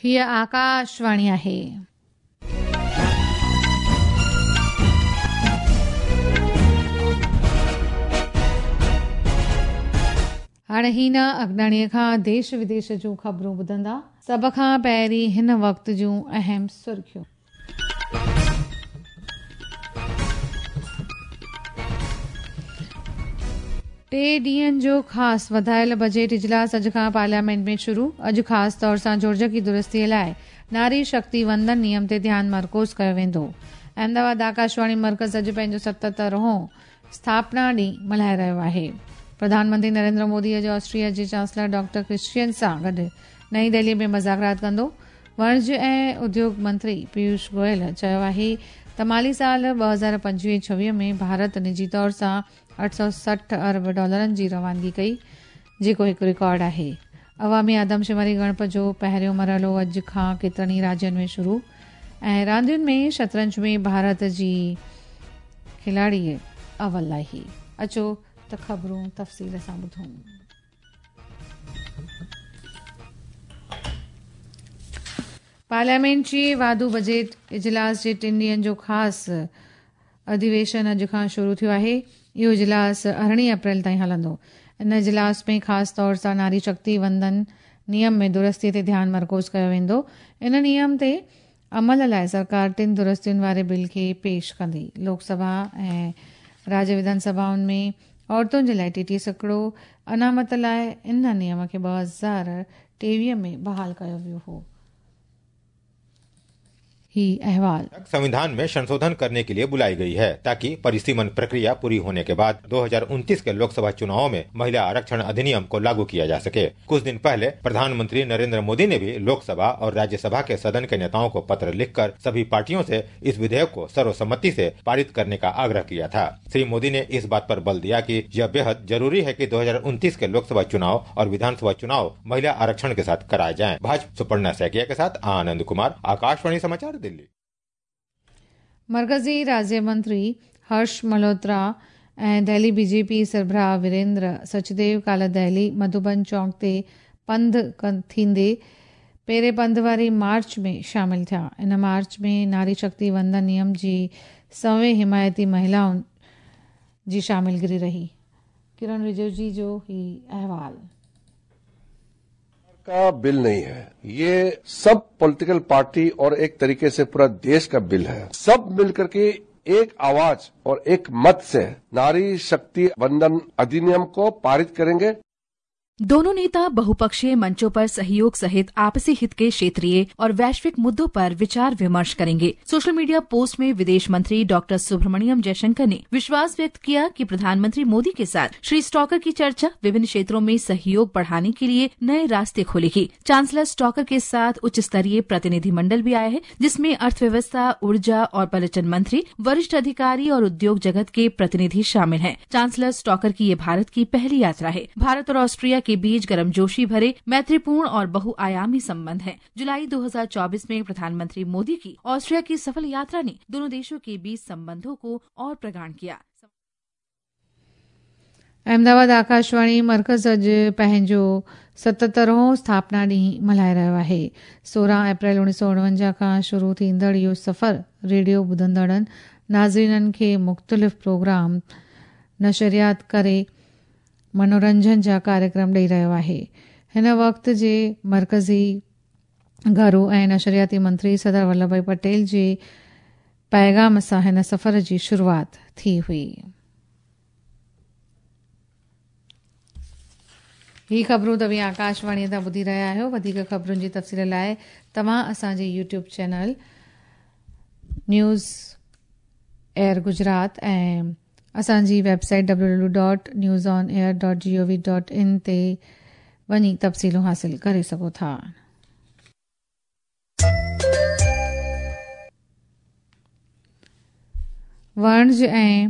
هيء آڪاشواڻي آهي. هاڻي هينا اگناڻيء کان ديش وديش جون خبرون ٻڌندا. سڀ کان پهرين هن وقت جون اهم سرخيون. ٽي ڏينهن جو خاص وڌايل بجيٽ اجلاس اڄ کان پارليامينٽ ۾ شروع، اڄ خاص طور سان جوڙجڪي درستي لاء ناري شڪتي وندن نيم تي ڌيان مرڪوز ڪيو ويندو. احمدآباد آڪاشواڻي مرڪز اڄ پنهنجو 77 هون اسٿاپنا ڏينهن ملهائي رهيو آهي. پرڌان منتري نريندر مودي اڄ آسٽريا جي چانسلر ڊاڪٽر ڪرسچين سان گڏ نئين دهلي ۾ مذاڪرات ڪندو. وڻج ۽ اديوگ منتري پيوش گويل چيو آهي ته مالي سال 2025-26 ۾ ڀارت نجي طور سان 860 ارب ڊالرن جي روانگي ڪئي، جيڪو هڪ رڪارڊ آهي. عوامي آدمشماري ڳڻپ جو پهريون مرحلو اڄ کان ڪيترن ئي راجين ۾ شروع ۽ راندين ۾ شطرنج ۾ ڀارت جي کلاڙي اول آهي. اچو ته خبرون تفصيل سان ٻڌون. پارليامينٽ جي واڌو بجيٽ اجلاس جي ٽن ڏينهن جو خاص اڌيويشن اڄ کان شروع ٿيو آهي. اهو اجلاس 18 اپريل تائين هلندو. ان اجلاس ۾ خاص طور سان ناري شڪتي وندن نيم ۾ درستي تي ڌيان مرڪوز ڪيو ويندو. ان نيم تي عمل لاء سرڪار ٽن درستين واري بل کي پيش ڪندي. لوڪ سڀا ۽ راجيه وڌان سڀائن ۾ عورتن جي لاء 33% انامت لاء ان نيم کي 2023 ۾ بحال ڪيو ويو هو. هي احوال. संविधान में संशोधन करने के लिए बुलाई गई है ताकि परिसीमन प्रक्रिया पूरी होने के बाद 2029 के लोकसभा चुनाव में महिला आरक्षण अधिनियम को लागू किया जा सके। कुछ दिन पहले प्रधानमंत्री नरेंद्र मोदी ने भी लोकसभा और राज्यसभा के सदन के नेताओं को पत्र लिखकर सभी पार्टियों से इस विधेयक को सर्वसम्मति से पारित करने का आग्रह किया था। श्री मोदी ने इस बात पर बल दिया कि यह बेहद जरूरी है कि 2029 के लोकसभा चुनाव और विधानसभा चुनाव महिला आरक्षण के साथ कराए जाएं। भाजपा सुपर्णा सैकिया के साथ आनंद कुमार, आकाशवाणी समाचार, दिल्ली। मरकज़ी राज्य मंत्री हर्ष मल्होत्रा ऐं दिल्ली बीजेपी सरबराह वीरेंद्र सचदेव काल्ह दिल्ली मधुबन चौक ते पंध थींदे पेरे पंध वारी मार्च में शामिल थिया। इन मार्च में नारी शक्ति वंदन नियम जी सवें हिमायती महिलाउनि जी शामिलगिरी रही। किरण रिजिजू जो ही अहवाल। का बिल नहीं है ये, सब पॉलिटिकल पार्टी और एक तरीके से पूरा देश का बिल है। सब मिलकर के एक आवाज और एक मत से नारी शक्ति वंदन अधिनियम को पारित करेंगे। दोनों नेता बहुपक्षीय मंचों पर सहयोग सहित आपसी हित के क्षेत्रीय और वैश्विक मुद्दों पर विचार विमर्श करेंगे। सोशल मीडिया पोस्ट में विदेश मंत्री डॉक्टर सुब्रमण्यम जयशंकर ने विश्वास व्यक्त किया कि प्रधानमंत्री मोदी के साथ श्री स्टॉकर की चर्चा विभिन्न क्षेत्रों में सहयोग बढ़ाने के लिए नए रास्ते खोलेगी। चांसलर स्टॉकर के साथ उच्च स्तरीय प्रतिनिधिमंडल भी आया है, जिसमें अर्थव्यवस्था, ऊर्जा और पर्यटन मंत्री, वरिष्ठ अधिकारी और उद्योग जगत के प्रतिनिधि शामिल हैं। चांसलर स्टॉकर की ये भारत की पहली यात्रा है। भारत और ऑस्ट्रिया के बीच गर्मजोशी भरे मैत्रीपूर्ण और बहुआयामी संबंध हैं। जुलाई 2024 में प्रधानमंत्री मोदी की ऑस्ट्रिया की सफल यात्रा ने दोनों देशों के बीच संबंधों को और प्रगाढ़ किया। अहमदाबाद आकाशवाणी मरकज़ अॼु पंहिंजो 77हों स्थापना ॾींहुं मल्हाए रहियो आहे। 16 अप्रैल 1949 खां शुरू थींदड़ इहो सफ़र रेडियो ॿुधंदड़नि नाज़रीननि खे मुख़्तलिफ़ प्रोग्राम नशरियात करे मनोरंजन जा कार्यक्रम ॾेई रहियो आहे। हिन वक़्त जे मरकज़ी घरू ऐं नशरियाती मंत्री सरदार वल्लभ भाई पटेल जे पैगाम सां हिन सफ़र जी शुरूआत थी हुई। ही ख़बरूं तव्हीं आकाशवाणीअ तां ॿुधी रहिया आहियो। वधीक ख़बरुनि जी तफ़सील लाइ तव्हां असांजे YouTube channel news air Gujarat ऐं असांजी वेबसाइट www.newsonair.gov.in ते वञी तफ़सीलूं हासिल करे सघो था। वणज ऐं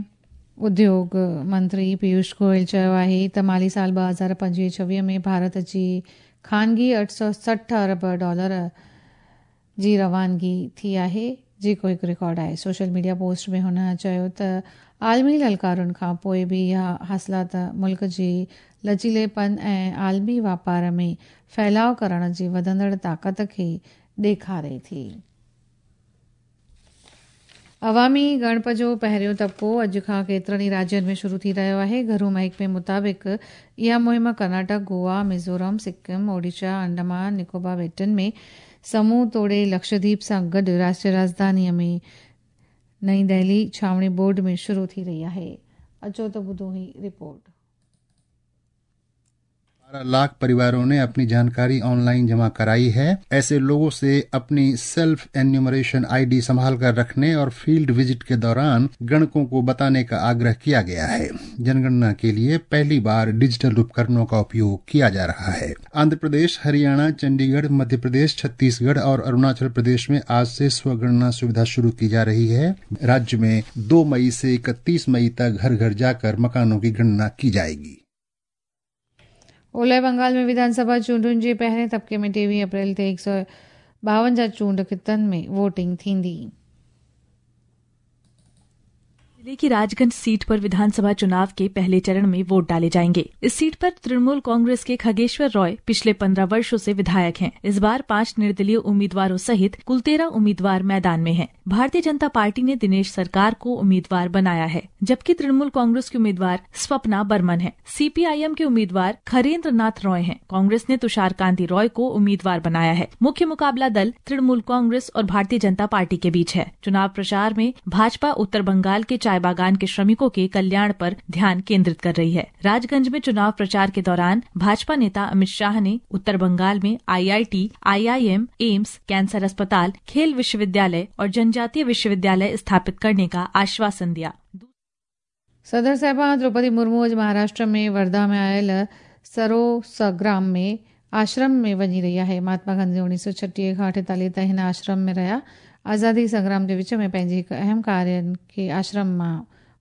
उद्योग मंत्री पीयूष गोयल चयो आहे त माली साल 2025-26 में भारत जी ख़ानगी 860 अरब डॉलर जी रवानगी थी आहे, جيڪو هڪ رڪارڊ آهي. سوشل ميڊيا پوسٽ ۾ هن چيو ته عالمي للڪارن کان پوء به اها حاصلات ملڪ جي لچيليپن ۽ عالمي واپار ۾ ڦهلاء ڪرڻ جي وڌندڙ طاقت کي ڏيکاري ٿي. عوامي ڳڻپ جو پهريون طبقو اڄ کان ڪيترن ئي راجين ۾ شروع ٿي رهيو آهي. گهرو محڪمي مطابق اها مهم ڪرناٽڪ، گوا، ميزورم، سڪم، اوڊيشا، انڊمان نڪوبار ٻيٽن ۾ سموهه توڙي لڪشديپ سان گڏ راشٽريه راڄڌاني ۾ نئين دهلي ڇانوڻي بورڊ ۾ شروع ٿي رهي آهي. اچو ته ٻڌون هي رپورٽ. 12 लाख परिवारों ने अपनी जानकारी ऑनलाइन जमा कराई है। ऐसे लोगों से अपनी सेल्फ एन्यूमरेशन आईडी संभाल कर रखने और फील्ड विजिट के दौरान गणकों को बताने का आग्रह किया गया है। जनगणना के लिए पहली बार डिजिटल उपकरणों का उपयोग किया जा रहा है। आंध्र प्रदेश, हरियाणा, चंडीगढ़, मध्य प्रदेश, छत्तीसगढ़ और अरुणाचल प्रदेश में आज से स्वगणना सुविधा शुरू की जा रही है। राज्य में 2 मई से 31 मई तक घर घर जाकर मकानों की गणना की जाएगी। ओलह बंगाल में विधानसभा चूंडुनि जे पहिरें तबके में 23 अप्रैल ते 152 चूंड खितनि में वोटिंग थींदी। जिले की राजगंज सीट पर विधानसभा चुनाव के पहले चरण में वोट डाले जाएंगे। इस सीट पर तृणमूल कांग्रेस के खगेश्वर रॉय पिछले 15 वर्षों से विधायक हैं। इस बार 5 निर्दलीय उम्मीदवारों सहित कुल 13 उम्मीदवार मैदान में हैं। भारतीय जनता पार्टी ने दिनेश सरकार को उम्मीदवार बनाया है, जबकि तृणमूल कांग्रेस के उम्मीदवार स्वप्ना बर्मन है। सीपीआईएम के उम्मीदवार खरेंद्र नाथ रॉय हैं। कांग्रेस ने तुषार कांति रॉय को उम्मीदवार बनाया है। मुख्य मुकाबला दल तृणमूल कांग्रेस और भारतीय जनता पार्टी के बीच है। चुनाव प्रचार में भाजपा उत्तर बंगाल के चाय बागान के श्रमिकों के कल्याण पर ध्यान केंद्रित कर रही है। राजगंज में चुनाव प्रचार के दौरान भाजपा नेता अमित शाह ने उत्तर बंगाल में आईआईटी, आईआईएम, एम्स, कैंसर अस्पताल, खेल विश्वविद्यालय और जनजातीय विश्वविद्यालय स्थापित करने का आश्वासन दिया। सदर साहिबा द्रौपदी मुर्मू अॼु महाराष्ट्र में वर्धा में आयल सरोसग्राम में आश्रम में वञी रही आहे। महात्मा गांधी 1936 खां 48 ताईं हिन आश्रम में रहिया। आज़ादी संग्राम जे विच में पंहिंजे हिकु अहम कार्यनि खे आश्रम मां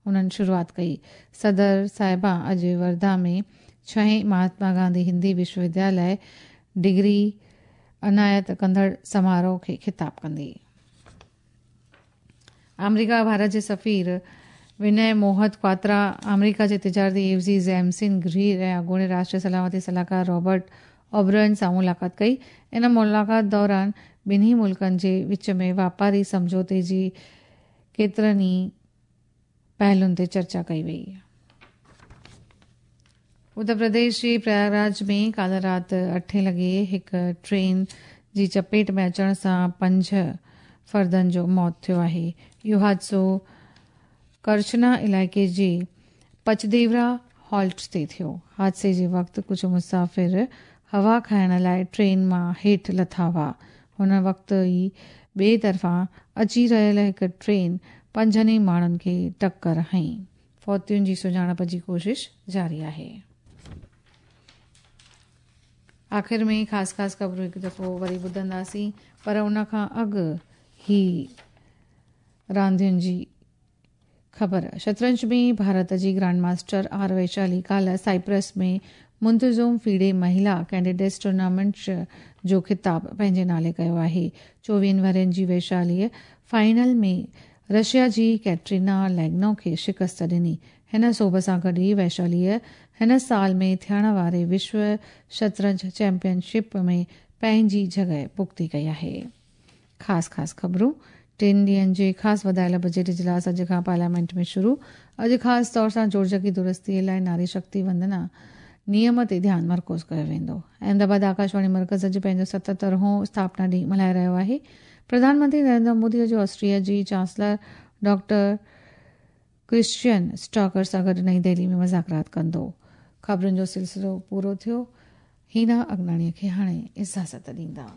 उन्हनि शुरूआत कई। सदर साहिबा अॼु वर्धा में 6हें महात्मा गांधी हिंदी विश्वविद्यालय डिग्री अनायत कंदड़ समारोह खे ख़िताब कंदी। आमेरिका भारत जे सफ़ीर विनय मोहत क्वात्रा आमेरिका जे तिजारती एवज़ी जेमसिन ग्रीर ऐं अॻूणे राष्ट्रीय सलामती सलाहकार रॉबर्ट ओब्रायन सां मुलाक़ात कई। इन मुलाक़ात दौरान ॿिन्ही मुल्कनि जे विच में वापारी सम्झौते जी केतिरनि ई पहलुनि ते चर्चा कई वई। उत्तर प्रदेश जे प्रयागराज में काल्ह राति 8 लॻे हिकु ट्रेन जी चपेट में अचण सां 5 फर्दनि जो मौत थियो आहे। इहो हादिसो करचना इलाइक़े जे पचदेवरा हॉल्ट ते थियो। हादसे जे वक़्तु कुझु मुसाफ़िर हवा खाइण लाइ ट्रेन मां हेठि लथा हुआ। हुन वक़्तु ई ॿिए तरफ़ां अची रहियल हिकु ट्रेन 5 ई माण्हुनि खे टक्कर हई। फौतियुनि जी सुञाणप जी कोशिश जारी आहे। आख़िर में ख़ासि ख़ासि ख़बरूं हिकु दफ़ो वरी ॿुधंदासीं, पर उन खां अॻु ही रांदियुनि जी ख़बर। शतरंज में भारत जी ग्रांड मास्टर आर वैशाली काल्ह साइप्रस में मुंतज़ुम फीडे महिला कैंडिडेट्स टूर्नामेंट जो ख़िताब पंहिंजे नाले कयो आहे। 24 वरनि जी वैशालीअ फाइनल में रशिया जी कैटरीना लैग्नो खे शिकस्त ॾिनी। हिन सोभ सां गॾु ई वैशालीअ हिन साल में थियण वारे विश्व शतरंज चैंपियनशिप में पंहिंजी जॻह पुख़्ती कई आहे। ख़ासि ख़ासि ख़बरूं। 3 ॾींहनि जे ख़ासि वधायल बजट इजलास अॼु खां पार्लियामेंट में शुरू। अॼु ख़ासि तौर सां जोड़जकी दुरुस्तीअ लाइ नारी शक्ति वंदना नियम ते ध्यानु मरकूज़ कयो वेंदो। अहमदाबाद आकाशवाणी मर्कज़ अॼु पंहिंजो 77हों स्थापना ॾींहुं मल्हाए रहियो आहे। प्रधानमंत्री नरेंद्र मोदी अॼु ऑस्ट्रिया जी चांसलर डॉक्टर क्रिश्चियन स्टॉकर सां गॾु नई दिल्ली में मुज़ाकरात कंदो। ख़बरुनि जो सिलसिलो पूरो थियो। हीना अगनाणीअ खे हाणे इजाज़त ॾींदा।